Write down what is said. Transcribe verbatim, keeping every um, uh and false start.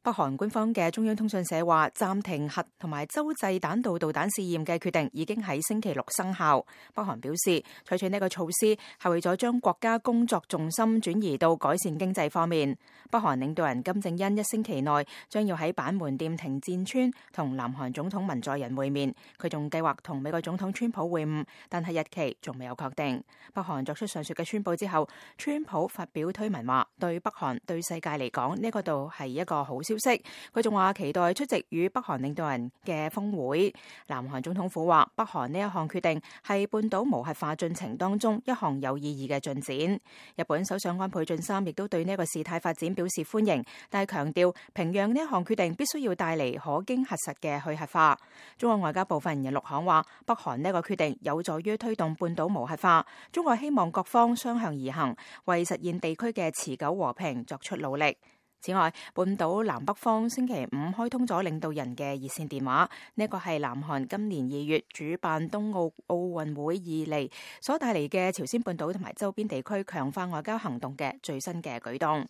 北韓官方嘅中央通訊社話，暫停核同埋洲際彈道導彈試驗嘅決定已經喺星期六生效。北韓表示，採取呢個措施係為咗將國家工作重心轉移到改善經濟方面。北韓領導人金正恩一星期內將要喺板門店停戰村同南韓總統文在寅會面，佢仲計劃同美國總統川普會晤，但係日期仲未有確定。北韓作出上述嘅宣佈之後，川普發表推文話，對北韓對世界嚟講呢個度係一個好消息。佢仲話期待出席與北韓領導人嘅峰會。南韓總統府話，北韓呢一項決定係半島無核化進程當中一項有意義嘅進展。日本首相安倍晉三亦都對呢個事態發展表示歡迎，但係強調平壤呢一項決定必須要帶嚟可經核實嘅去核化。中國外交部發言人陸慷話，北韓呢個決定有助於推動半島無核化，中國希望各方雙向而行，為實現地區嘅持久和平作出努力。此外，半島南北方星期五開通咗領導人嘅熱線電話，呢個係南韓今年二月主辦冬奧奧運會以嚟所帶嚟嘅朝鮮半島同埋周邊地區強化外交行動嘅最新嘅舉動。